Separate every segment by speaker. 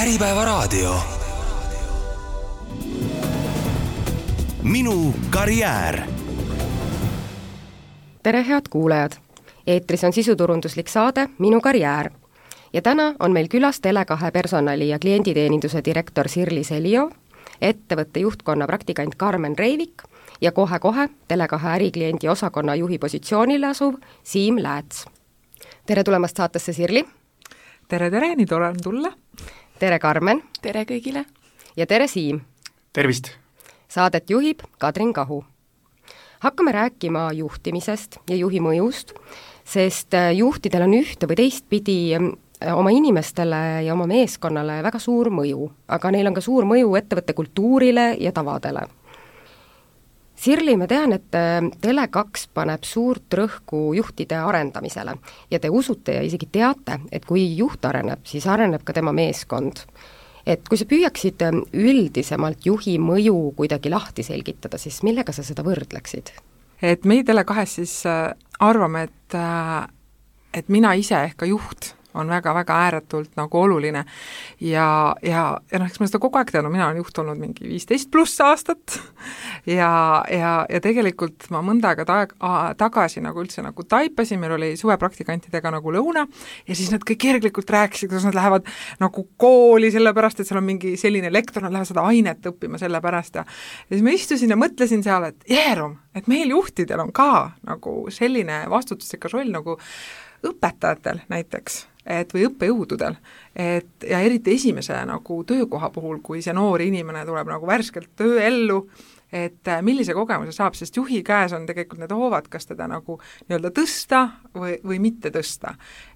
Speaker 1: Äripäevaraadio. Minu karjäär.
Speaker 2: Tere, head kuulajad! Eetris on sisuturunduslik saade Minu karjäär. Ja täna on meil külas Tele2 personali- ja klienditeeninduse direktor Sirli Selio, ettevõtte juhtkonna praktikant Karmen Reivik ja kohe-kohe Tele2 ärikliendi osakonna juhi positsioonile asuv Siim Lääts. Tere tulemast saatesse, Sirli!
Speaker 3: Tere, nii tore on tulla!
Speaker 2: Tere, Karmen!
Speaker 4: Tere kõigile!
Speaker 2: Ja tere, Siim!
Speaker 5: Tervist!
Speaker 2: Saadet juhib Kadrin Kahu. Hakkame rääkima juhtimisest ja juhi mõjust, sest juhtidel on ühte või teistpidi oma inimestele ja oma meeskonnale väga suur mõju, aga neil on ka suur mõju ettevõtte kultuurile ja tavadele. Sirli, ma tean, et Tele2 paneb suurt rõhku juhtide arendamisele ja te usute ja isegi teate, et kui juht areneb, siis areneb ka tema meeskond. Et kui sa püüaksid üldisemalt juhi mõju kuidagi lahti selgitada, siis millega sa seda võrdleksid?
Speaker 3: Et meie Tele2 siis arvame, et mina ise ehk ka juht on väga-väga ääretult nagu oluline ja eks ma seda kogu aeg teadnud, mina olen juht olnud mingi 15+ aastat ja tegelikult ma mõnda aega tagasi nagu üldse nagu taipasin, meil oli suvepraktikantidega nagu lõuna ja siis nad kõik kerglikult rääkisid, kuidas nad lähevad nagu kooli sellepärast, et seal on mingi selline lektor, nad lähevad seda ainet õppima sellepärast ja siis ma istusin ja mõtlesin seal, et jeerum, et meil juhtidel on ka nagu selline vastutusrikas roll nagu õpetajatel näiteks, või õppejõududel, ja eriti esimese nagu töökoha puhul, kui see noor inimene tuleb nagu värskelt tööellu, et millise kogemuse saab, sest juhi käes on tegelikult need hoovad, kas teda nagu nii-öelda tõsta või mitte tõsta.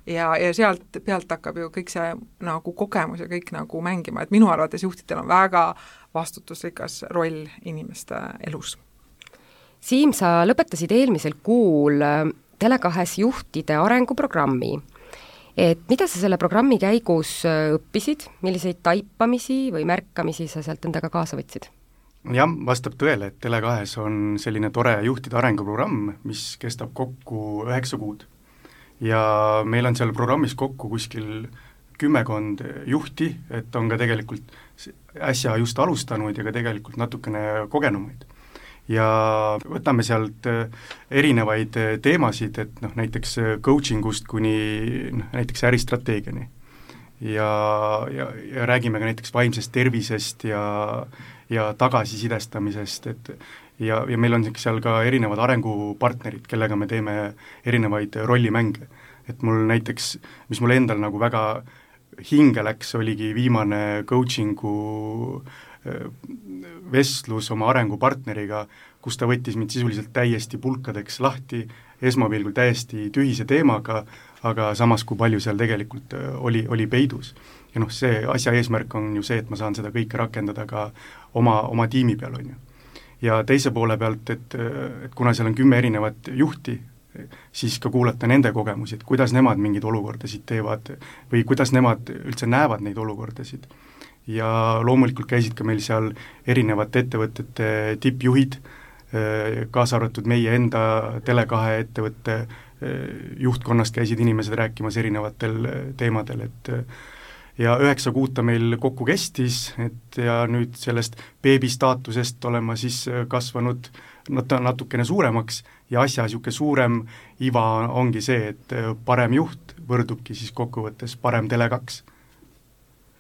Speaker 3: Ja sealt pealt hakkab ju kõik see nagu kogemus ja kõik nagu mängima, et minu arvates juhtidel on väga vastutusrikas roll inimeste elus.
Speaker 2: Siim, sa lõpetasid eelmisel kuul Tele2 juhtide arenguprogrammi. Et mida sa selle programmi käigus õppisid, milliseid taipamisi või märkamisi sa sealt endaga kaasa võtsid?
Speaker 5: Jah, vastab tõele, et Tele2 on selline tore juhtide arenguprogramm, mis kestab kokku 9 kuud. Ja meil on seal programmis kokku kuskil 10 juhti, et on ka tegelikult äsja just alustanud ja ka tegelikult natukene kogenumaid. Ja võtame sealt erinevaid teemasid, et näiteks coachingust kuni näiteks äristrateegiani. Ja räägime ka näiteks vaimsest tervisest ja tagasisidestamisest, ja meil on seal ka erinevad arengupartnerid, kellega me teeme erinevaid rollimänge. Et mul näiteks, mis mul endal nagu väga hinge läks, oligi viimane coachingu vestlus oma arengupartneriga, kus ta võttis mind sisuliselt täiesti pulkadeks lahti, esmapilgul täiesti tühise teemaga, aga samas kui palju seal tegelikult oli peidus. Ja see asja eesmärk on ju see, et ma saan seda kõike rakendada ka oma tiimi peal, on ju. Ja teise poole pealt, et kuna seal on 10 erinevat juhti, siis ka kuulata nende kogemusi, et kuidas nemad mingeid olukordasid teevad või kuidas nemad üldse näevad neid olukordasid. Ja loomulikult käisid ka meil seal erinevate ettevõtete tippjuhid, kaasa arvatud meie enda Tele2 ettevõtte juhtkonnast käisid inimesed rääkimas erinevatel teemadel, et ja 9 kuuta meil kokku kestis, et ja nüüd sellest beebi staatusest olen ma siis kasvanud natukene suuremaks ja asja niisugune suurem iva ongi see, et parem juht võrdubki siis kokkuvõttes parem Tele2.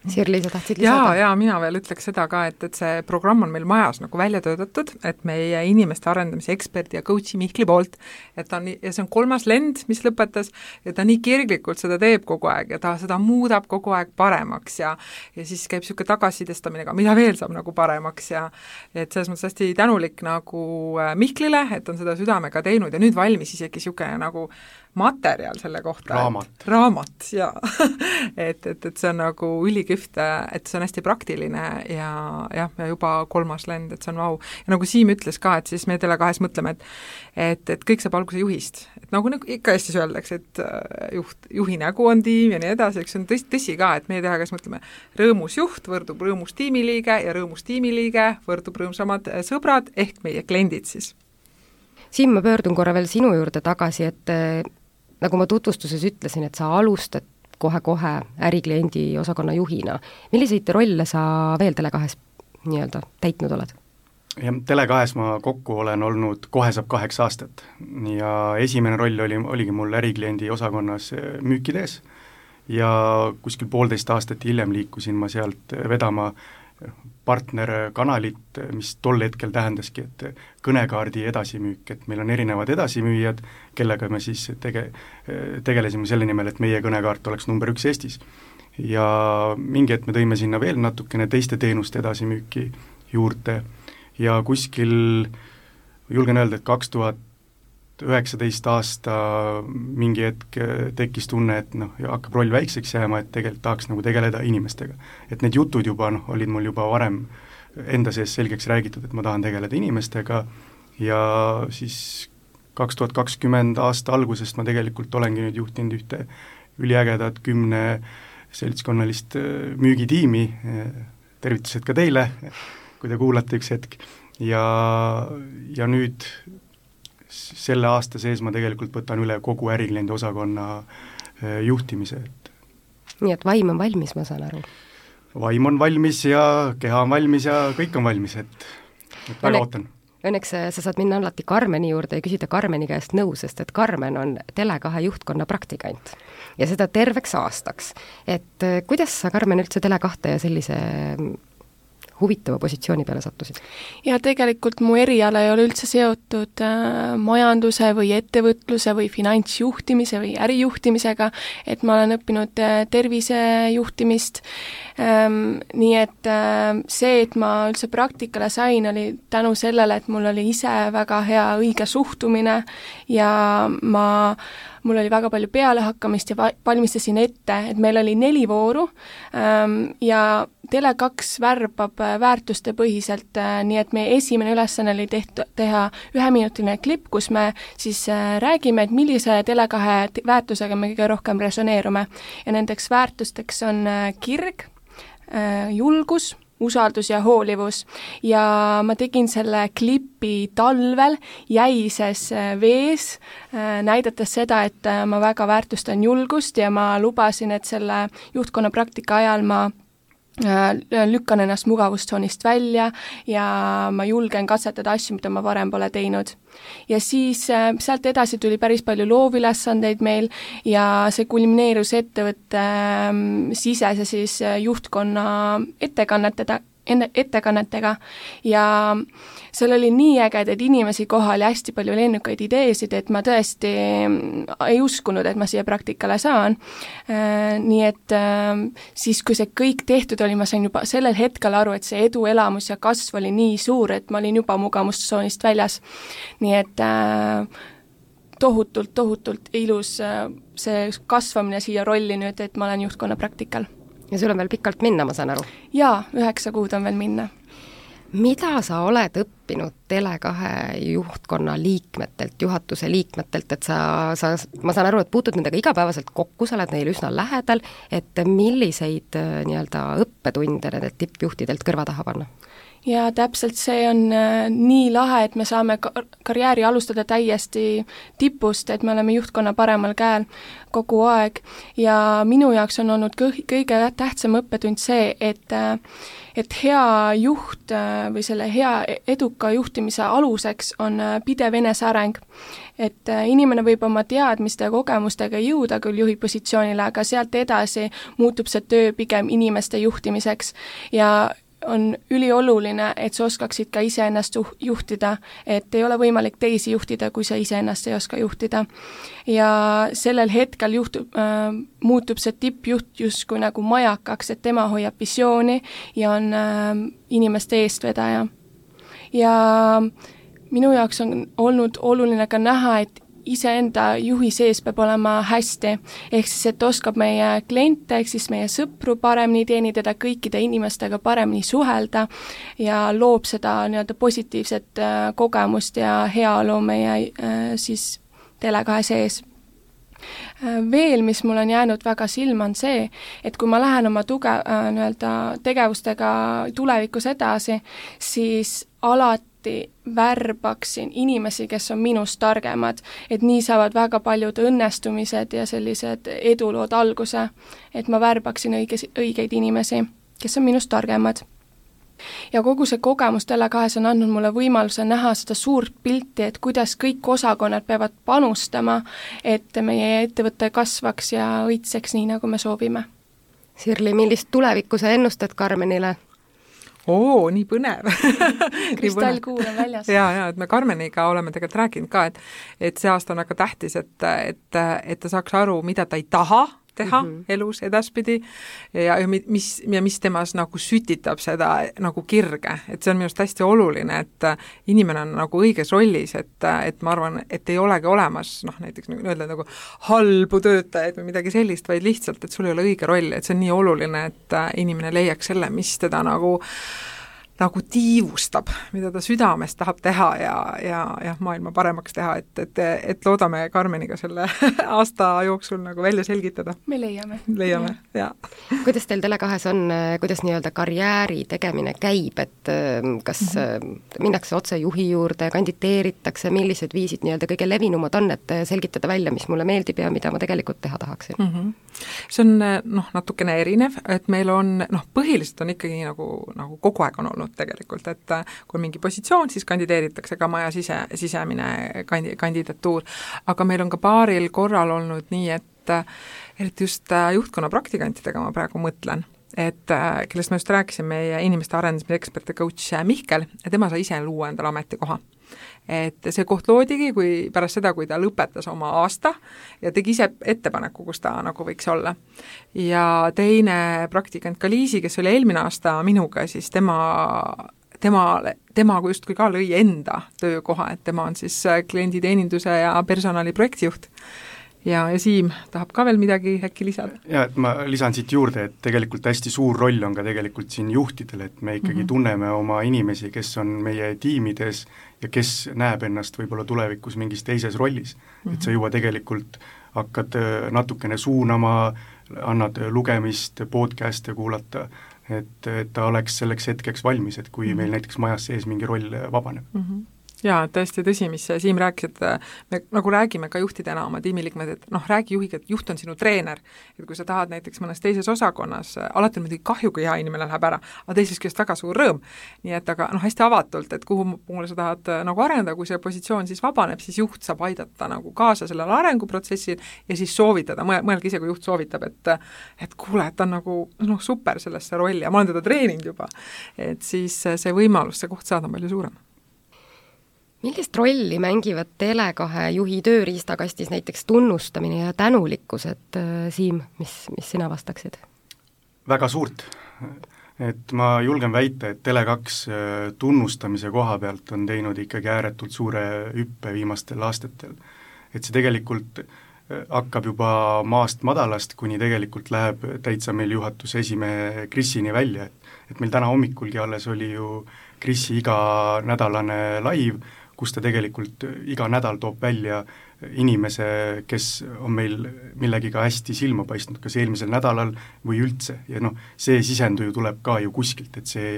Speaker 2: Sirli, sa tahtsid lisada?
Speaker 3: Ja mina veel ütleks seda ka, et see programm on meil majas nagu välja töötatud, et meie inimeste arendamise eksperdi ja coachi Mihkli poolt, et ja see on 3. lend, mis lõpetas, ja ta nii kirglikult seda teeb kogu aeg ja ta seda muudab kogu aeg paremaks ja siis käib niisugune tagasisidestamine ka, mida veel saab nagu paremaks ja et selles mõttes hästi tänulik nagu Mihklile, et on seda südamega teinud ja nüüd valmis isegi niisugune nagu materjal selle kohta. Raamat, jaa. et see on nagu üliküht, et see on hästi praktiline ja juba 3. lend, et see on vau. Ja nagu Siim ütles ka, et siis me Tele2 mõtleme, et kõik saab alguse juhist. Et nagu ikka Eestis öeldakse, et juhi nägu on tiim ja nii edasi, eks see on tõsi ka, et meie Tele2 mõtleme, rõõmus juht võrdub rõõmus tiimiliige ja rõõmus tiimiliige võrdub rõõmsamad sõbrad ehk meie kliendid siis.
Speaker 2: Siim, ma pöördun korra veel sinu juurde tagasi, et nagu ma tutvustuses ütlesin, et sa alustad kohe-kohe ärikliendi osakonna juhina. Milliseid rolle sa veel Tele2-s nii-öelda täitnud oled?
Speaker 5: Ja Tele2-s ma kokku olen olnud, kohe saab 8 aastat ja esimene roll oligi mul ärikliendi osakonnas müükides ja kuskil 1,5 aastat hiljem liikusin ma sealt vedama partnerkanalit, mis tol hetkel tähendaski, et kõnekaardi edasimüük, et meil on erinevad edasimüüjad, kellega me siis tegelesime selle nimel, et meie kõnekaart oleks number 1 Eestis. Ja mingi hetk me tõime sinna veel natukene teiste teenuste edasimüüki juurde ja kuskil julgen öelda, et 2019 aasta mingi hetk tekkis tunne, et hakkab roll väikseks jääma, et tegelikult tahaks tegeleda inimestega. Et need jutud juba olid mul juba varem enda sees selgeks räägitud, et ma tahan tegeleda inimestega ja siis 2020 aasta algusest ma tegelikult olengi nüüd juhtinud ühte üliägedat 10 seltskonnalist müügitiimi, tervitused ka teile, kui te kuulate üks hetk, ja nüüd selle aasta sees ma tegelikult võtan üle kogu ärikliendi osakonna juhtimise.
Speaker 2: Nii et vaim on valmis, ma saan aru?
Speaker 5: Vaim on valmis ja keha on valmis ja kõik on valmis, et väga ootan.
Speaker 2: Õnneks sa saad minna alati Karmeni juurde ja küsida Karmeni käest nõu, sest et Karmen on Tele2 juhtkonna praktikant ja seda terveks aastaks. Et kuidas sa, Karmen, üldse Tele2 ja sellise huvitava positsiooni peale sattusid?
Speaker 4: Ja tegelikult mu eriala ei ole üldse seotud majanduse või ettevõtluse või finantsjuhtimise või ärijuhtimisega, et ma olen õppinud tervisejuhtimist, nii et see, et ma üldse praktikale sain, oli tänu sellele, et mul oli ise väga hea õige suhtumine ja mul oli väga palju pealehakkamist ja valmistasin ette, et meil oli 4 vooru ja Tele2 värbab väärtuste põhiselt, nii et meie esimene ülesanne oli teha 1-minutiline klipp, kus me siis räägime, et millise Tele2 väärtusega me kõige rohkem resoneerume. Ja nendeks väärtusteks on kirg, julgus, usaldus ja hoolivus ja ma tegin selle klipi talvel jäises vees, näidates seda, et ma väga väärtustan julgust ja ma lubasin, et selle juhtkonna praktika ajal ma lükkan ennast mugavustsoonist välja ja ma julgen katsetada asju, mida ma varem pole teinud. Ja siis sealt edasi tuli päris palju loovilesandeid meil ja see kulmineerus ettevõtte sisese siis juhtkonna ettekannetega ja seal oli nii ägedaid inimesi kohal ja hästi palju lennukaid ideesid, et ma tõesti ei uskunud, et ma siia praktikale saan. Nii et siis, kui see kõik tehtud oli, ma sain juba sellel hetkel aru, et see eduelamus ja kasv oli nii suur, et ma olin juba mugavustsoonist väljas. Nii et tohutult ilus see kasvamine siia rolli nüüd, et ma olen juhtkonna praktikal.
Speaker 2: Ja sul on veel pikalt minna, ma saan aru?
Speaker 4: Jaa, 9 kuud on veel minna.
Speaker 2: Mida sa oled õppinud Tele2 juhtkonna liikmetelt, juhatuse liikmetelt, et ma saan aru, et puutud nendega igapäevaselt kokku, sa oled neil üsna lähedal, et milliseid nii-öelda õppetunde nendelt tippjuhtidelt kõrva taha panna?
Speaker 4: Ja täpselt see on nii lahe, et me saame karjääri alustada täiesti tipust, et me oleme juhtkonna paremal käel kogu aeg ja minu jaoks on olnud kõige tähtsam õppetund see, et hea juht või selle hea eduka juhtimise aluseks on pidev eneseareng. Et inimene võib oma teadmiste ja kogemustega jõuda küll juhi positsioonile, aga sealt edasi muutub see töö pigem inimeste juhtimiseks ja on ülioluline, et sa oskaksid ka iseennast juhtida, et ei ole võimalik teisi juhtida, kui sa iseennast ei oska juhtida. Ja sellel hetkel muutub see tippjuht justkui nagu majakaks, et tema hoiab visiooni ja on inimeste eestvedaja. Ja minu jaoks on olnud oluline ka näha, et iseenda juhi sees peab olema hästi, ehk siis, et oskab meie kliente, ehk siis meie sõpru paremini teenida, kõikide inimestega paremini suhelda ja loob seda nii-öelda positiivset kogemust ja heaolu meie siis Tele2 sees. Veel, mis mul on jäänud väga silma, on see, et kui ma lähen oma tegevustega tulevikus edasi, siis alati värbaksin inimesi, kes on minust targemad, et nii saavad väga paljud õnnestumised ja sellised edulood alguse, et ma värbaksin õigeid inimesi, kes on minust targemad. Ja kogu see kogemus Tele2 on andnud mulle võimaluse näha seda suurt pilti, et kuidas kõik osakonnad peavad panustama, et meie ettevõte kasvaks ja õitseks nii, nagu me soovime.
Speaker 2: Sirli, millist tulevikku sa ennustad Karmenile?
Speaker 3: Nii põnev.
Speaker 4: Kristallkuul on väljas.
Speaker 3: Ja, et me Karmeniga oleme tegelikult rääkinud ka, et see aasta on väga tähtis, et ta saaks aru, mida ta ei taha teha elus edaspidi ja mis temas nagu sütitab seda nagu kirge, et see on minu arust hästi oluline, et inimene on nagu õiges rollis, et ma arvan, et ei olegi olemas näiteks öelda nagu halbu töötajaid või midagi sellist, vaid lihtsalt, et sul ei ole õige roll, et see on nii oluline, et inimene leiaks selle, mis teda nagu tiivustab, mida ta südames tahab teha ja maailma paremaks teha, et loodame Karmeniga selle aasta jooksul nagu välja selgitada.
Speaker 4: Me leiame,
Speaker 3: ja.
Speaker 2: Kuidas teil Tele2 on, kuidas nii-öelda karjääri tegemine käib, et kas minnakse otse juhi juurde, kandideeritakse, millised viisid nii-öelda kõige levinumad on, et selgitada välja, mis mulle meeldib ja mida ma tegelikult teha tahaksin?
Speaker 3: See on natukene erinev, et meil on, põhiliselt on ikkagi nagu kogu aeg on olnud tegelikult, et kui mingi positsioon, siis kandideeritakse ka maja sisemine kandidatuur, aga meil on ka paaril korral olnud nii, et eriti just juhtkonna praktikantidega ma praegu mõtlen, et kellest ma just rääkisin, meie inimeste arendamise ekspert ja coach Mihkel, ja tema sai ise luua endale ametikoha. Et see koht loodigi, kui pärast seda, kui ta lõpetas oma aasta ja tegi ise ettepaneku, kus ta nagu võiks olla. Ja teine praktikant Kaliisi, kes oli eelmine aasta minuga, siis tema justkui ka lõi enda töökoha, et tema on siis klienditeeninduse ja personali projektijuht. Ja Siim tahab ka veel midagi äkki lisada?
Speaker 5: Ja, et ma lisan siit juurde, et tegelikult hästi suur roll on ka tegelikult siin juhtidel, et me ikkagi tunneme oma inimesi, kes on meie tiimides ja kes näeb ennast võib-olla tulevikus mingis teises rollis. Et sa juba tegelikult hakkad natukene suunama, annad lugemist, podcast'e kuulata, et ta oleks selleks hetkeks valmis, et kui meil näiteks majas sees mingi roll vabaneb.
Speaker 3: Jaa, tõesti tõsi, mis Siim rääkis, et me nagu räägime ka juhtidena oma tiimiliikmed, et räägi juhiga, et juht on sinu treener, et kui sa tahad näiteks mõnes teises osakonnas, alati on muidugi kahju, kui hea inimene läheb ära, aga teisest küljest väga suur rõõm, nii et aga hästi avatult, et kuhu poole sa tahad nagu arendada, kui see positsioon siis vabaneb, siis juht saab aidata nagu kaasa sellele arenguprotsessil ja siis soovitada, mõelge ise, kui juht soovitab, et kuule, et ta on nagu super sellesse rolli ja ma olen teda treeninud juba, et siis see võimalus, see koht saada on palju suurem.
Speaker 2: Millist rolli mängivad Tele2 juhi tööriistakastis näiteks tunnustamine ja tänulikkus, et Siim, mis sina vastaksid?
Speaker 5: Väga suurt. Et ma julgen väita, et Tele2 tunnustamise koha pealt on teinud ikkagi ääretult suure hüppe viimastel aastatel. Et see tegelikult hakkab juba maast madalast, kuni tegelikult läheb täitsa meil juhatuse esimehe Krisini välja. Et meil täna hommikulgi alles oli ju Krisi iganädalane live, kus ta tegelikult iga nädal toob välja inimese, kes on meil millegiga hästi silma paistnud, kas eelmisel nädalal või üldse. Ja see sisendu ju tuleb ka ju kuskilt, et see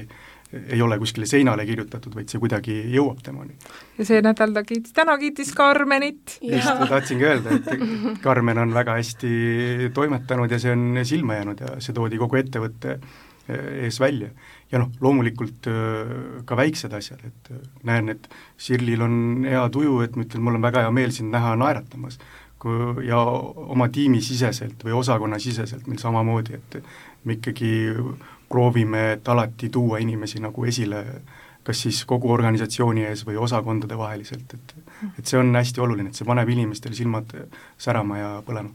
Speaker 5: ei ole kuskile seinale kirjutatud, vaid see kuidagi jõuab temani.
Speaker 3: Ja see nädal täna kiitis Karmenit.
Speaker 5: Just, tahtsingi öelda, et Karmen on väga hästi toimetanud ja see on silma jäänud ja see toodi kogu ettevõtte ees välja. Ja loomulikult ka väiksed asjad, et näen, et Sirlil on hea tuju, et ma ütlen, mul on väga hea meel sind näha naeratamas ja oma tiimi siseselt või osakonna siseselt meil samamoodi, et me ikkagi proovime, et alati tuua inimesi nagu esile, kas siis kogu organisatsiooni ees või osakondade vaheliselt, et see on hästi oluline, et see paneb inimestel silmad särama ja põlema.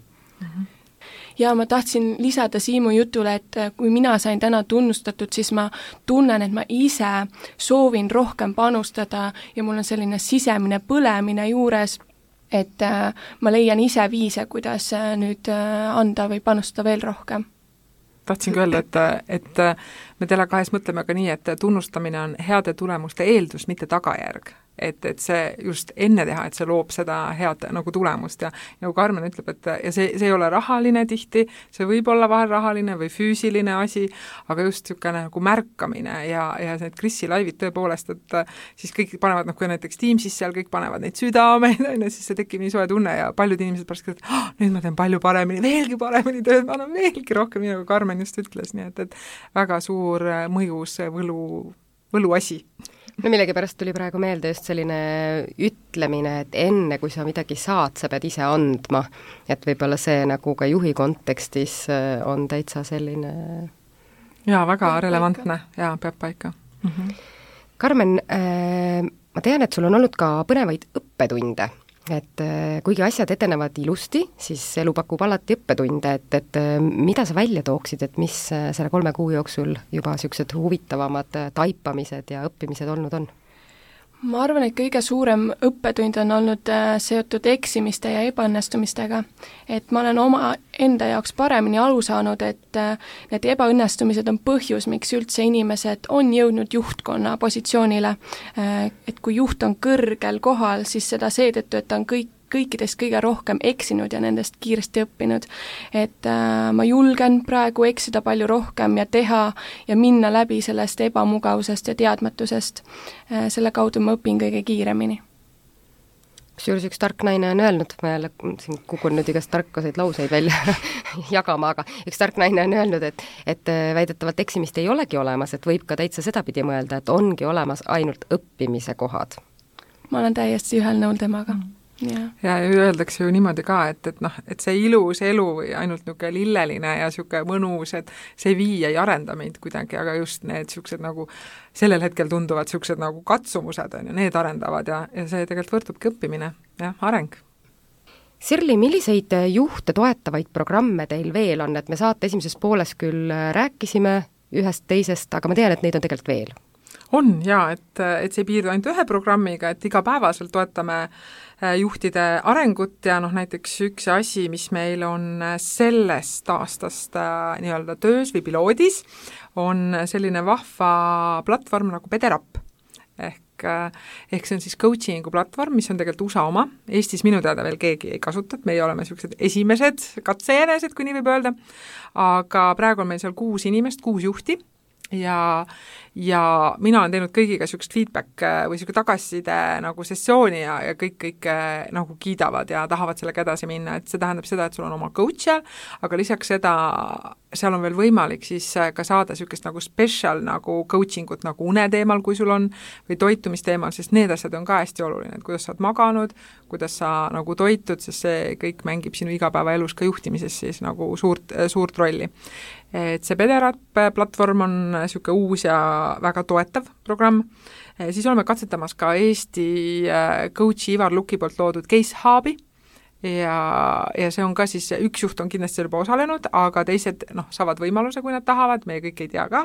Speaker 4: Ja ma tahtsin lisada Siimu jutule, et kui mina sain täna tunnustatud, siis ma tunnen, et ma ise soovin rohkem panustada ja mul on selline sisemine põlemine juures, et ma leian ise viise, kuidas nüüd anda või panustada veel rohkem.
Speaker 3: Tahtsingi öelda, et me Tele2 mõtleme ka nii, et tunnustamine on heade tulemuste eeldus, mitte tagajärg. et see just enne teha, et see loob seda head nagu tulemust ja nagu Karmen ütleb, et ja see ei ole rahaline tihti, see võib olla vahel rahaline või füüsiline asi, aga just niisugune nagu märkamine ja need Krisi laivid tõepoolest, et siis kõik panevad, kui näiteks Teamsis seal kõik panevad neid südameid, siis see tekib nii soe tunne ja paljud inimesed pärast küsivad, nüüd ma teen palju paremini, veelgi paremini tööd, ma annan veelgi rohkem, nagu Karmen just ütles, nii et väga suur mõjus võluasi.
Speaker 2: No millegipärast tuli praegu meelde just selline ütlemine, et enne kui sa midagi saad, sa pead ise andma, et võib-olla see nagu ka juhi kontekstis on täitsa selline
Speaker 3: jaa, väga relevantne ja peab paika.
Speaker 2: Karmen, ma tean, et sul on olnud ka põnevaid õppetunde, et kuigi asjad edenevad ilusti, siis elu pakub alati õppetunde, et mida sa välja tooksid, et mis selle 3 kuu jooksul juba niisugused huvitavamad taipamised ja õppimised olnud on?
Speaker 4: Ma arvan, et kõige suurem õppetund on olnud seotud eksimiste ja ebaõnnestumistega. Et ma olen oma enda jaoks paremini aru saanud, et need ebaõnnestumised on põhjus, miks üldse inimesed on jõudnud juhtkonna positsioonile. Et kui juht on kõrgel kohal, siis seda seetõttu, et ta on kõikidest kõige rohkem eksinud ja nendest kiiresti õppinud. Et ma julgen praegu eksida palju rohkem ja teha ja minna läbi sellest ebamugavusest ja teadmatusest. Selle kaudu ma õpin kõige kiiremini.
Speaker 2: Kusjuures üks tark naine on öelnud, ma jälle siin kukun nüüd igast tarkaseid lauseid välja jagama, aga üks tark naine on öelnud, et väidetavalt eksimist ei olegi olemas, et võib ka täitsa sedapidi mõelda, et ongi olemas ainult õppimise kohad.
Speaker 4: Ma olen täiesti ühel nõul temaga.
Speaker 3: Ja öeldakse ju niimoodi ka, et see ilus elu või ainult niisugune lilleline ja niisugune mõnus, et see ei arenda meid kuidagi, aga just need niisugused nagu sellel hetkel tunduvad niisugused nagu katsumused on ja need arendavad ja see tegelikult võrdubki õppimine ja areng.
Speaker 2: Sirli, milliseid juhte toetavaid programme teil veel on, et me saate esimeses pooles küll rääkisime ühest teisest, aga ma tean, et neid on tegelikult veel?
Speaker 3: On jaa, et see ei piirdu ainult ühe programmiga, et igapäevaselt toetame juhtide arengut ja näiteks üks asi, mis meil on sellest aastast nii-öelda töös või piloodis, on selline vahva platvorm nagu Pederapp. Ehk see on siis coachingu platvorm, mis on tegelikult USA oma. Eestis minu teada veel keegi ei kasuta, et meie oleme sellised esimesed katsejänesed, kui nii võib öelda. Aga praegu on meil seal 6 inimest, 6 juhti ja mina olen teinud kõigiga niisugust feedback või niisugune tagasiside nagu sessiooni ja kõik nagu kiidavad ja tahavad sellega edasi minna, et see tähendab seda, et sul on oma coach seal, aga lisaks seda, seal on veel võimalik siis ka saada niisugust nagu special nagu coaching ut nagu une teemal, kui sul on, või toitumisteemal, sest need asjad on ka hästi oluline, et kuidas sa oled maganud, kuidas sa nagu toitud, sest see kõik mängib sinu igapäevaelus ka juhtimises siis nagu suurt rolli. Et see Pederapp platvorm on niisugune uus ja väga toetav programm. Siis oleme katsetamas ka Eesti coachi Ivar Luki poolt loodud Case Hubi ja see on ka siis, üks juht on kindlasti juba osalenud, aga teised saavad võimaluse, kui nad tahavad, meie kõik ei tea ka,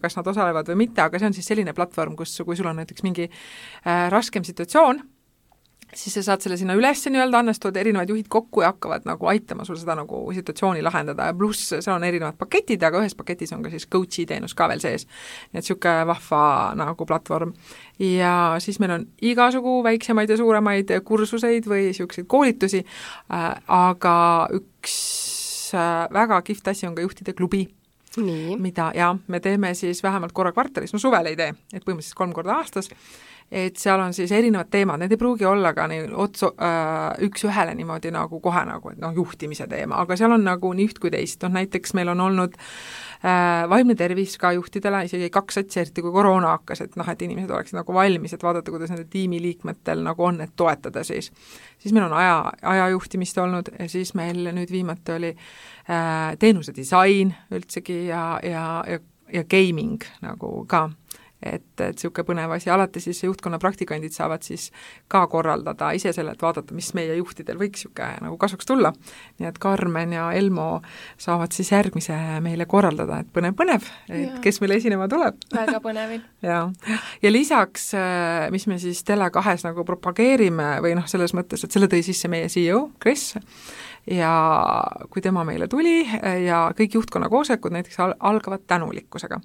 Speaker 3: kas nad osalevad või mitte, aga see on siis selline platvorm, kus kui sul on näiteks mingi raskem situatsioon, siis sa saad selle sinna üles nii-öelda, annestavad erinevad juhid kokku ja hakkavad nagu aitama sul seda nagu situatsiooni lahendada ja pluss seal on erinevad paketid, aga ühes paketis on ka siis coachi teenus ka veel sees. Nii et niisugune vahva nagu platvorm. Ja siis meil on igasugu väiksemaid ja suuremaid kursuseid või niisuguseid koolitusi, aga üks väga kihvt asi on ka juhtide klubi. Mida me teeme siis vähemalt korra kvartalis, suvel ei tee, et põhimõtteliselt 3 korda aastas, et seal on siis erinevad teemad, need ei pruugi olla ka üks ühele niimoodi nagu kohe nagu, et juhtimise teema, aga seal on nagu nii üht kui teist, näiteks meil on olnud vaimne tervis ka juhtidele, isegi 2 satsi, eriti kui koroona hakkas, et inimesed oleksid nagu valmis, et vaadata, kuidas nende tiimiliikmetel nagu on, et toetada siis. Siis meil on ajajuhtimist olnud ja siis meil nüüd viimati oli teenuse disain üldsegi ja gaming nagu ka. Et niisugune põnev asi, alati siis juhtkonna praktikandid saavad siis ka korraldada ise selle, et vaadata, mis meie juhtidel võiks niisugune nagu kasuks tulla. Nii et Karmen ja Elmo saavad siis järgmise meile korraldada, et põnev, et kes meile esinema tuleb.
Speaker 4: Väga põnevil.
Speaker 3: ja lisaks, mis me siis Tele2 nagu propageerime või selles mõttes, et selle tõi sisse meie CEO, Chris, ja kui tema meile tuli ja kõik juhtkonna koosolekud näiteks algavad tänulikkusega.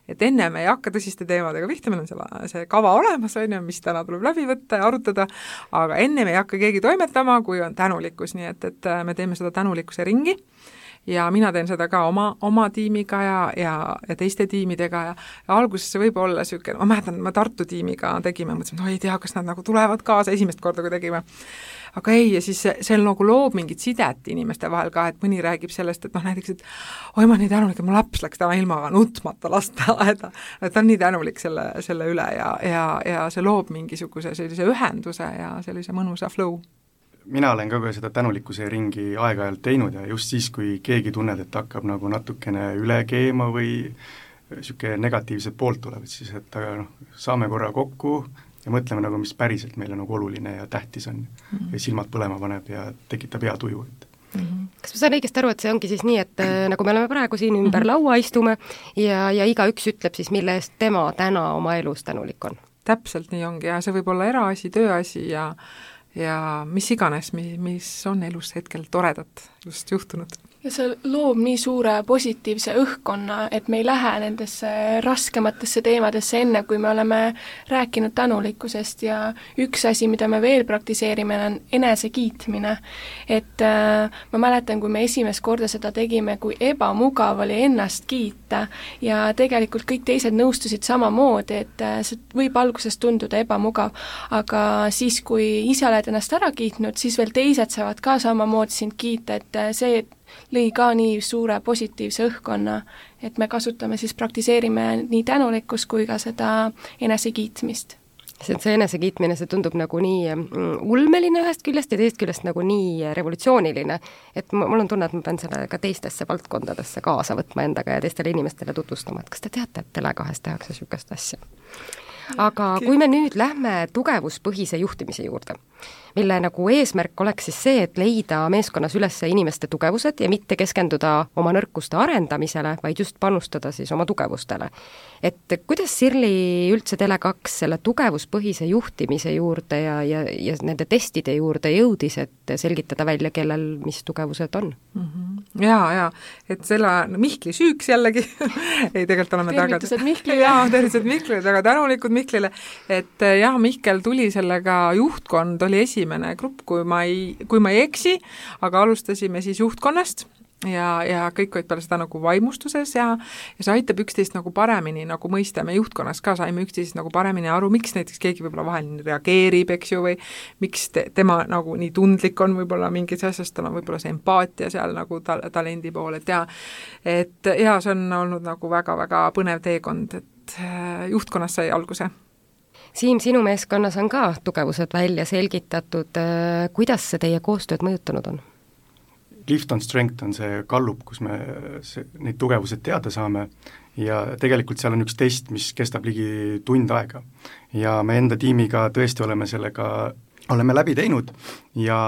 Speaker 3: Et enne me ei hakka tõsiste teemadega pihta, meil on see kava olemas, on ju, mis täna tuleb läbi võtta ja arutada, aga enne me ei hakka keegi toimetama, kui on tänulikkus, nii et me teeme seda tänulikkuse ringi ja mina teen seda ka oma tiimiga ja teiste tiimidega ja alguses see võib olla niisugune, ma mäletan, ma Tartu tiimiga tegime, mõtlesime, no ei tea, kas nad nagu tulevad kaasa esimest korda, kui tegime. Aga ei, ja siis see nagu loob mingit sidet inimeste vahel ka, et mõni räägib sellest, et näiteks, et oi, ma nii tänulik, et mu laps läks täna ilmaga nutmata lasteaeda, et ta on nii tänulik selle üle ja see loob mingisuguse sellise ühenduse ja sellise mõnusa flow.
Speaker 5: Mina olen ka seda tänulikkuse ringi aeg-ajalt teinud ja just siis, kui keegi tunned, et hakkab nagu natukene üle keema või niisugune negatiivset poolt tuleb, siis et saame korra kokku ja mõtleme nagu, mis päriselt meile nagu oluline ja tähtis on ja silmad põlema paneb ja tekitab hea tuju.
Speaker 2: Kas ma saan õigesti aru, et see ongi siis nii, et nagu me oleme praegu siin ümber laua istume ja igaüks ütleb siis, mille eest tema täna oma elus tänulik on?
Speaker 3: Täpselt nii ongi ja see võib olla eraasi, tööasi ja mis iganes, mis on elus hetkel toredat just juhtunud.
Speaker 4: Ja see loob nii suure positiivse õhkkonna, et me ei lähe nendesse raskematesse teemadesse enne, kui me oleme rääkinud tänulikkusest ja üks asi, mida me veel praktiseerime, on enesekiitmine. Et ma mäletan, kui me esimest korda seda tegime, kui ebamugav oli ennast kiita ja tegelikult kõik teised nõustusid samamoodi, et see võib alguses tunduda ebamugav, aga siis, kui ise oled ennast ära kiitnud, siis veel teised saavad ka samamoodi sind kiita, et see lõi ka nii suure positiivse õhkkonna, et me kasutame siis, praktiseerime nii tänulikkust kui ka seda enesekiitmist.
Speaker 2: See enesekiitmine, see tundub nagu nii ulmeline ühest küljest ja teist küljest nagu nii revolutsiooniline, et mul on tunne, et ma pean selle ka teistesse valdkondadesse kaasa võtma endaga ja teistele inimestele tutvustama, et kas te teate, et Tele2 tehakse niisugust asja. Aga kui me nüüd lähme tugevuspõhise juhtimise juurde, mille nagu eesmärk oleks siis see, et leida meeskonnas üles inimeste tugevused ja mitte keskenduda oma nõrkuste arendamisele, vaid just panustada siis oma tugevustele. Et kuidas Sirli üldse Tele2 selle tugevuspõhise juhtimise juurde ja nende testide juurde jõudis, et selgitada välja, kellel mis tugevused on?
Speaker 3: Ja, et selle Mihkli süüks jällegi ei, tegelikult oleme
Speaker 4: tervitused Mihklile.
Speaker 3: Tervitused Mihklile, väga tänulikud Mihklile, et jah, Mihkel tuli sellega, juhtkond oli esimene grupp, kui ma ei eksi, aga alustasime siis juhtkonnast ja kõik olid peale seda nagu vaimustuses ja see aitab üksteist nagu paremini nagu mõista, me juhtkonnas ka saime üksteist nagu paremini aru, miks näiteks keegi võib-olla vahel reageerib, eks ju, või miks tema nagu nii tundlik on võib-olla mingis asjast, tal on võib-olla see empaatia seal nagu talendi pool, et see on olnud nagu väga-väga põnev teekond, et juhtkonnas sai alguse.
Speaker 2: Siim, sinu meeskonnas on ka tugevused välja selgitatud, kuidas see teie koostööd mõjutanud on?
Speaker 5: Lift on Strength on see gallup, kus me neid tugevused teada saame ja tegelikult seal on üks test, mis kestab ligi tund aega. Ja me enda tiimiga tõesti oleme läbi teinud ja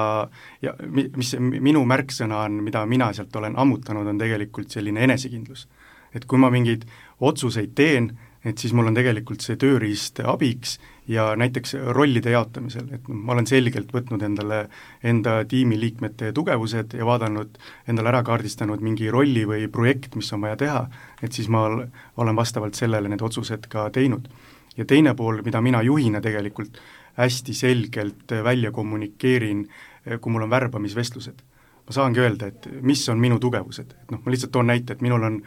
Speaker 5: mis minu märksõna on, mida mina sealt olen ammutanud, on tegelikult selline enesekindlus. Et kui ma mingeid otsuseid teen, et siis mul on tegelikult see tööriist abiks ja näiteks rollide jaotamisel, et ma olen selgelt võtnud endale enda tiimiliikmete tugevused ja vaadanud, endale ära kaardistanud mingi rolli või projekt, mis on vaja teha, et siis ma olen vastavalt sellele need otsused ka teinud. Ja teine pool, mida mina juhina tegelikult hästi selgelt välja kommunikeerin, kui mul on värbamisvestlused. Ma saangi öelda, et mis on minu tugevused, et ma lihtsalt toon näite, et minul on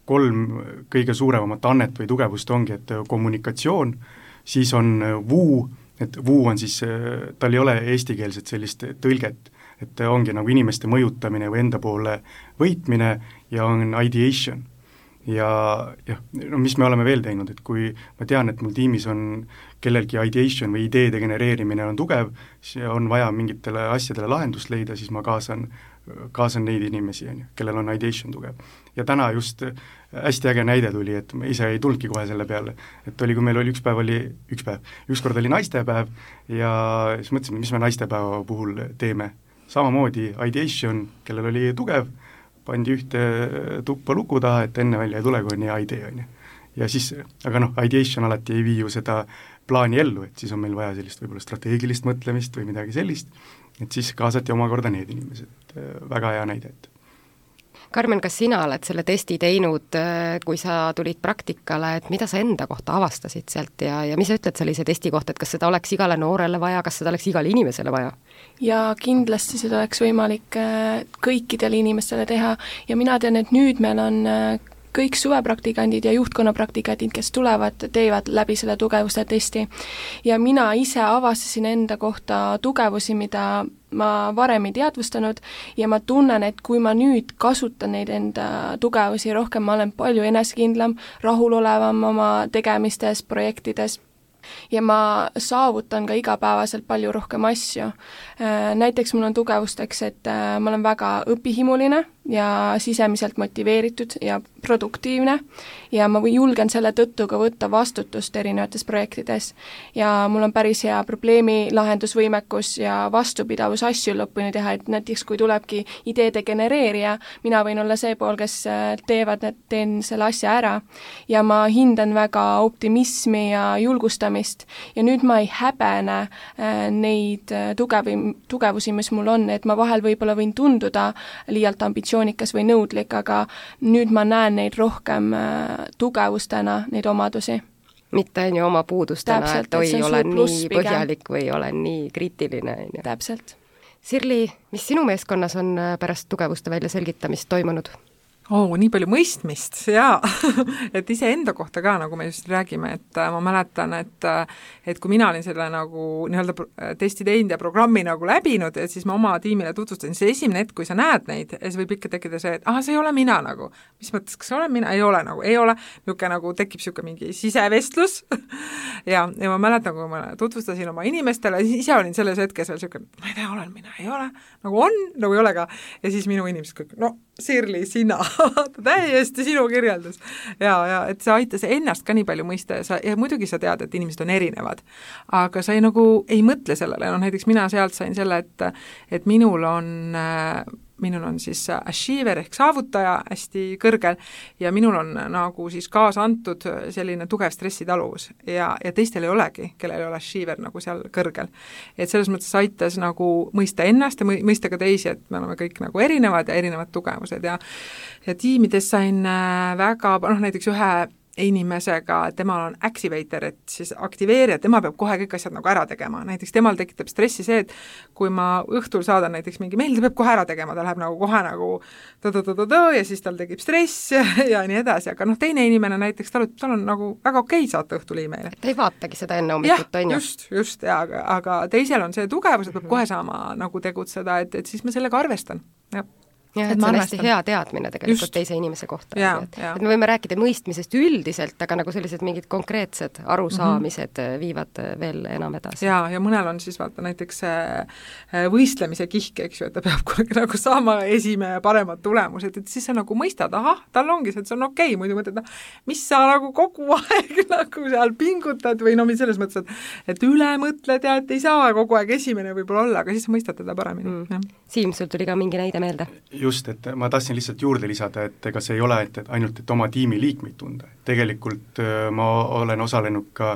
Speaker 5: 3 kõige suuremat annet või tugevust ongi, et kommunikatsioon, siis on vuu, et vuu on siis, tal ei ole eestikeelset sellist tõlget, et ongi nagu inimeste mõjutamine või enda poole võitmine ja on ideation. Ja mis me oleme veel teinud, et kui ma tean, et mul tiimis on kellelgi ideation või ideede genereerimine on tugev, siis on vaja mingitele asjadele lahendust leida, siis ma kaasan neid inimesi, kellel on ideation tugev. Ja täna just hästi äge näide tuli, et ma ise ei tulnudki kohe selle peale, et kui meil oli ükskord oli naistepäev ja siis mõtlesime, mis me naistepäeva puhul teeme. Samamoodi ideation, kellel oli tugev, pandi ühte tuppa luku taha, et enne välja ei tule, kui on hea idee, on ju. Ja siis, aga ideation alati ei vii ju seda plaani ellu, et siis on meil vaja sellist võib-olla strateegilist mõtlemist või midagi sellist, et siis kaasati omakorda need inimesed, väga hea näide, et
Speaker 2: Karmen, kas sina oled selle testi teinud, kui sa tulid praktikale, et mida sa enda kohta avastasid sealt ja mis sa ütled sellise testi kohta, et kas seda oleks igale noorele vaja, kas seda oleks igale inimesele vaja?
Speaker 4: Ja kindlasti seda oleks võimalik kõikidele inimestele teha ja mina tean, et nüüd meil on kõik suvepraktikandid ja juhtkonnapraktikandid, kes tulevad, teevad läbi selle tugevuste testi. Ja mina ise avastasin enda kohta tugevusi, mida ma varem ei teadvustanud ja ma tunnen, et kui ma nüüd kasutan neid enda tugevusi rohkem, ma olen palju enesekindlam, rahulolevam oma tegemistes, projektides ja ma saavutan ka igapäevaselt palju rohkem asju. Näiteks mul on tugevusteks, et ma olen väga õpihimuline ja sisemiselt motiveeritud ja produktiivne ja ma julgen selle tõttu ka võtta vastutust erinevates projektides ja mul on päris hea probleemi lahendusvõimekus ja vastupidavus asju lõpuni teha, et näiteks kui tulebki ideede genereerija, mina võin olla see pool, kes teen selle asja ära ja ma hindan väga optimismi ja julgustamist ja nüüd ma ei häbene neid tugevusi, mis mul on, et ma vahel võib-olla võin tunduda liialt ambitsioonikas või nõudlik, aga nüüd ma näen neid rohkem tugevustena, neid omadusi.
Speaker 2: Mitte on ju oma puudustena,
Speaker 4: täpselt,
Speaker 2: et oi, olen nii põhjalik või olen nii kriitiline.
Speaker 4: Täpselt.
Speaker 2: Sirli, mis sinu meeskonnas on pärast tugevuste väljaselgitamist toimunud?
Speaker 3: Nii palju mõistmist, jaa. Et iseenda kohta ka, nagu me just räägime, et ma mäletan, et kui mina olin selle nagu nii-öelda testi teinud ja programmi nagu läbinud, et siis ma oma tiimile tutvustasin, see esimene hetk, kui sa näed neid, ja siis võib ikka tekkida see, et see ei ole mina nagu. Mis mõttes, kas olen mina? Ei ole nagu, ei ole. Niuke nagu tekib siuke mingi sisevestlus. ja ma mäletan, kui ma tutvustasin oma inimestele, ise olin selles hetkes veel siuke, ma ei tea, olen mina, ei ole. Nagu on, nagu ei ole ka. Ja siis minu inimesed kõik, Sirli, sina, täiesti sinu kirjeldus. Ja et see aitas ennast ka nii palju mõista ja muidugi sa tead, et inimesed on erinevad, aga sa ei mõtle sellele, näiteks mina sealt sain selle, et minul on siis achiever ehk saavutaja hästi kõrgel ja minul on nagu siis kaasa antud selline tugev stressitaluvus ja teistel ei olegi, kellel ei ole achiever nagu seal kõrgel. Et selles mõttes aitas nagu mõista ennast ja mõista ka teisi, et me oleme kõik nagu erinevad ja erinevad tugevused ja tiimides sain väga, näiteks ühe inimesega, temal on activator, et siis aktiveerija, tema peab kohe kõik asjad nagu ära tegema. Näiteks temal tekitab stressi see, et kui ma õhtul saadan näiteks mingi meil, ta peab kohe ära tegema, ta läheb nagu kohe nagu ja siis tal tekib stress ja nii edasi, aga teine inimene näiteks, tal on nagu väga okei saata õhtul e-maili.
Speaker 2: Ta ei vaatagi seda enne hommikut, on ju?
Speaker 3: Just, aga teisel on see tugev, et peab kohe saama nagu tegutseda, et siis ma sellega arvestan, jah.
Speaker 2: Jah, et see on hästi hea teadmine tegelikult teise inimese kohta. Et me võime rääkida mõistmisest üldiselt, aga nagu sellised mingid konkreetsed arusaamised viivad veel enam edasi.
Speaker 3: Ja mõnel on siis vaata näiteks võistlemise kihk, eks ju, et ta peab kunagi nagu saama esimene paremad tulemused, et siis sa nagu mõistad, tal ongi see, et see on okei, muidu mõtled, mis sa nagu kogu aeg nagu seal pingutad või selles mõttes, et üle mõtled ja et ei saa kogu aeg esimene võib-olla olla, aga siis sa mõistad teda paremini.
Speaker 2: Siim, sul tuli ka mingi näide meelde?
Speaker 5: Just, et ma tahtsin lihtsalt juurde lisada, et ega see ei ole ainult, et oma tiimi liikmeid tunda. Tegelikult ma olen osalenud ka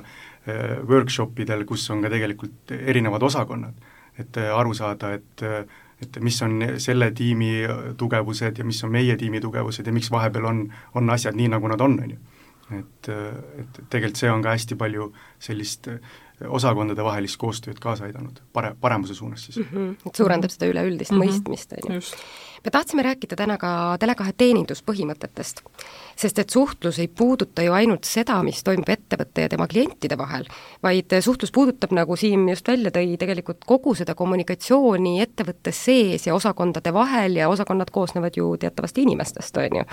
Speaker 5: workshopidel, kus on ka tegelikult erinevad osakonnad, et aru saada, et mis on selle tiimi tugevused ja mis on meie tiimi tugevused ja miks vahepeal on asjad nii, nagu nad on ju. Et tegelikult see on ka hästi palju sellist osakondade vahelist koostööd kaasa aidanud, paremuse suunas siis.
Speaker 2: Et suurendab seda üleüldist mõistmist. Me tahtsime rääkida täna ka Tele2 teeninduspõhimõtetest, sest et suhtlus ei puuduta ju ainult seda, mis toimub ettevõtte ja tema klientide vahel, vaid suhtlus puudutab, nagu Siim just välja tõi, tegelikult kogu seda kommunikatsiooni ettevõtte sees ja osakondade vahel ja osakonnad koosnevad ju teatavasti inimestest, on ju.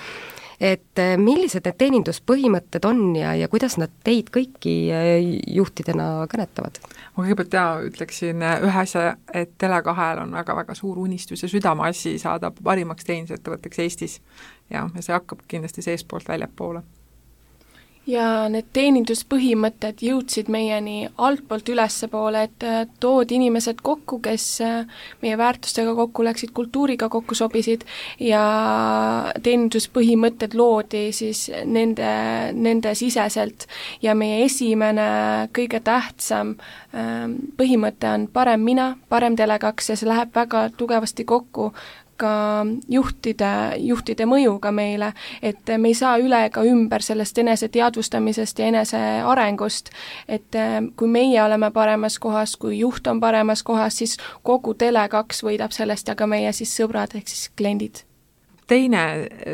Speaker 2: Et millised need teeninduspõhimõtted on ja kuidas nad teid kõiki juhtidena kõnetavad?
Speaker 3: Ma kõigepealt ütleksin ühe asja, et Tele2-l on väga-väga suur unistus ja südameasi saada parimaks teenindusettevõtteks Eestis ja see hakkab kindlasti seespoolt väljapoole.
Speaker 4: ja need teeninduspõhimõtted jõudsid meieni altpoolt ülespoole, et toodi inimesed kokku, kes meie väärtustega kokku läksid, kultuuriga kokku sobisid ja teeninduspõhimõtted loodi siis nende siseselt ja meie esimene kõige tähtsam põhimõte on parem mina, parem Tele2 ja see läheb väga tugevasti kokku ka juhtide mõjuga meile, et me ei saa üle ega ümber sellest enese teadvustamisest ja enese arengust, et kui meie oleme paremas kohas, kui juht on paremas kohas, siis kogu Tele2 võidab sellest ja ka meie siis sõbrad ehk siis kliendid.
Speaker 3: Teine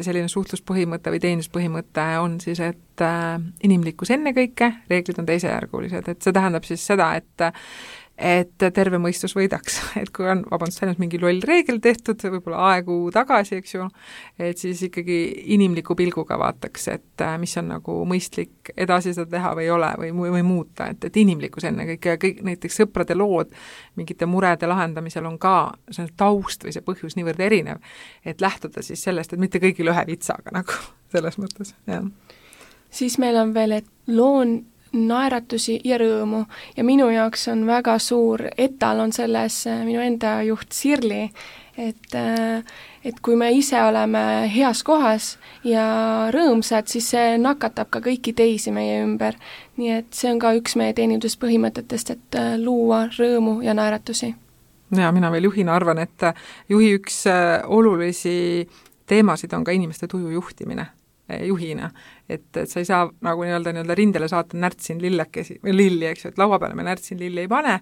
Speaker 3: selline suhtluspõhimõte või teenuspõhimõte on siis, et inimlikkus ennekõike, reeglid on teisejärgulised, et see tähendab siis seda, et terve mõistus võidaks, et kui on, ainult mingi loll reegel tehtud, võib-olla aegu tagasi, eks ju, et siis ikkagi inimliku pilguga vaataks, et mis on nagu mõistlik edasi seda teha või ei ole või muuta, et inimlikkus ennekõike ja kõik näiteks sõprade lood mingite murede lahendamisel on ka see taust või see põhjus niivõrd erinev, et lähtuda siis sellest, et mitte kõigil ühe vitsaga nagu selles mõttes, jah.
Speaker 4: Siis meil on veel, et loon naeratusi ja rõõmu ja minu jaoks on väga suur etalon selles minu enda juht Sirli, et kui me ise oleme heas kohas ja rõõmsad, siis see nakatab ka kõiki teisi meie ümber. Nii et see on ka üks meie teeninduspõhimõtetest, et luua rõõmu ja naeratusi.
Speaker 3: Ja mina veel juhina arvan, et juhi üks olulisi teemasid on ka inimeste tuju juhtimine juhina, et sa ei saa nagu nii-öelda rindele saata närtsin lillekesi või lilli, eks ju, et laua peale me närtsin lilli ei pane,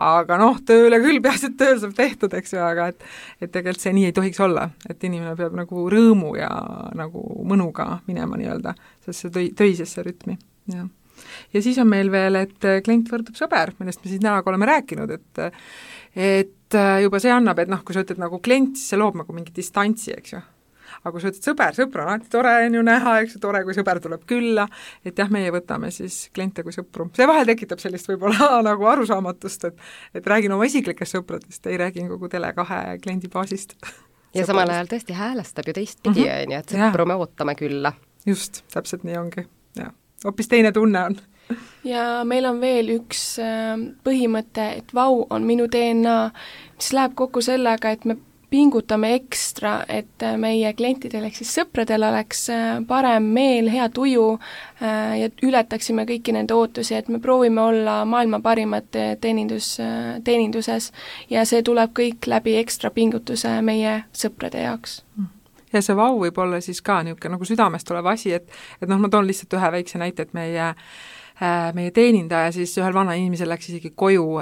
Speaker 3: aga tööle küll, peaasi, et tööl saab tehtud, eks ju, aga et tegelikult see nii ei tohiks olla, et inimene peab nagu rõõmu ja nagu mõnuga minema nii-öelda, sest see töisesse rütmi, jah. Ja siis on meil veel, et klient võrdub sõber, millest me siis näoga oleme rääkinud, et juba see annab, et kui sa ütled nagu klient, siis see loob nagu mingi distantsi, eks ju. Aga kui sa ütled sõbra on alati tore on ju näha, eks ju, tore, kui sõber tuleb külla, et jah, meie võtame siis kliente kui sõpru. See vahel tekitab sellist võib-olla nagu arusaamatust, et räägin oma isiklikest sõpradest, ei räägin kogu Tele2 kliendibaasist.
Speaker 2: Ja samal ajal tõesti häälestab ju teistpidi, et sõpru me ootame külla.
Speaker 3: Just, täpselt nii ongi. Ja. Hoopis teine tunne on.
Speaker 4: Ja meil on veel üks põhimõte, et vau on minu DNA, mis läheb kokku sellega, et me pingutame ekstra, et meie klientidel ehk siis sõpradel oleks parem meel, hea tuju ja ületaksime kõiki nende ootusi, et me proovime olla maailma parimad teeninduses ja see tuleb kõik läbi ekstra pingutuse meie sõprade jaoks.
Speaker 3: Ja see vau võib olla siis ka niisugune nagu südamest tulev asi, et ma toon lihtsalt ühe väikse näite, et meie teenindaja siis ühel vana inimesel läks isegi koju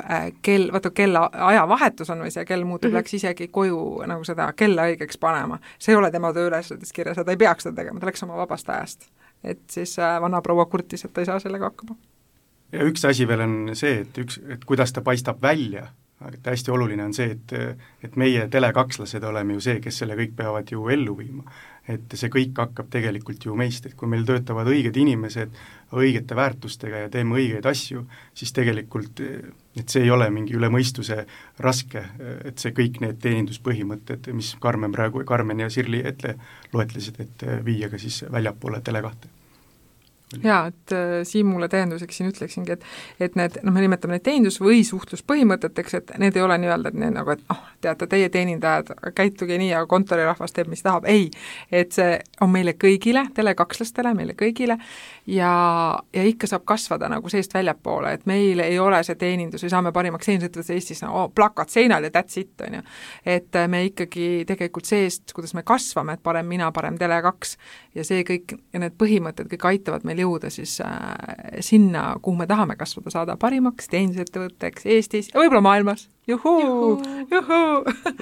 Speaker 3: kella ajavahetus on või see kell muutub, läks isegi koju nagu seda kella õigeks panema. See ei ole tema tööülesannetes kirjas, ta ei peaks seda tegema, ta läks oma vabast ajast. Et siis vana proua kurtis, et ta ei saa sellega hakkama.
Speaker 5: Ja üks asi veel on see, et kuidas ta paistab välja, aga hästi oluline on see, et meie Tele2-lased oleme ju see, kes selle kõik peavad ju ellu viima. Et see kõik hakkab tegelikult ju meist, et kui meil töötavad õiged inimesed õigete väärtustega ja teeme õigeid asju, siis tegelikult et see ei ole mingi üle mõistuse raske, et see kõik need teeninduspõhimõtted, mis Karmen ja Sirli loetlesid, et viia ka siis väljapoole Tele2.
Speaker 3: Jaa, et Siimule tähenduseks siin ütleksingi, et need, me nimetame neid teenindus- või suhtluspõhimõteteks, et need ei ole nii-öelda, et need nagu, et teate, teie teenindajad, käituge nii ja kontorirahvas teeb, mis tahab, ei, et see on meile kõigile, Tele2-lastele, meile kõigile ja ikka saab kasvada nagu seest väljapoole, et meil ei ole see teenindus või saame parimaks teenindus Eestis plakat seinal ja that's it, on ju. Et me ikkagi tegelikult seest, kuidas me kasvame, et parem mina, parem Tele2 ja see kõik ja need põhimõtted kõik aitavad meil jõuda siis sinna, kuhu me tahame kasvada, saada parimaks teenindusettevõtteks Eestis ja võib-olla maailmas. Juhuu!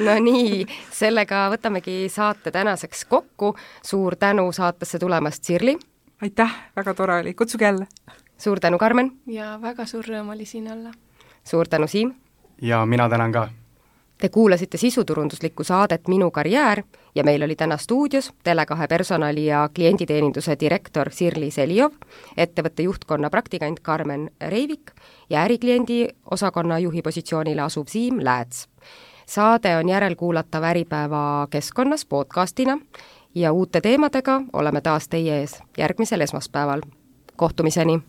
Speaker 2: No nii, sellega võtamegi saate tänaseks kokku. Suur tänu saatesse tulemast, Sirli!
Speaker 3: Aitäh, väga tore oli, kutsuge jälle!
Speaker 2: Suur tänu, Karmen!
Speaker 4: Ja väga suur rõõm oli siin olla!
Speaker 2: Suur tänu, Siim!
Speaker 5: Ja mina tänan ka!
Speaker 2: Te kuulasite sisuturunduslikku saadet Minu karjäär ja meil oli täna stuudios Tele2 personali- ja klienditeeninduse direktor Sirli Selijov, ettevõtte juhtkonna praktikant Karmen Reivik ja ärikliendi osakonna juhi positsioonile asuv Siim Lääts. Saade on järelkuulatav Äripäeva keskkonnas podcastina ja uute teemadega oleme taas teie ees järgmisel esmaspäeval. kohtumiseni!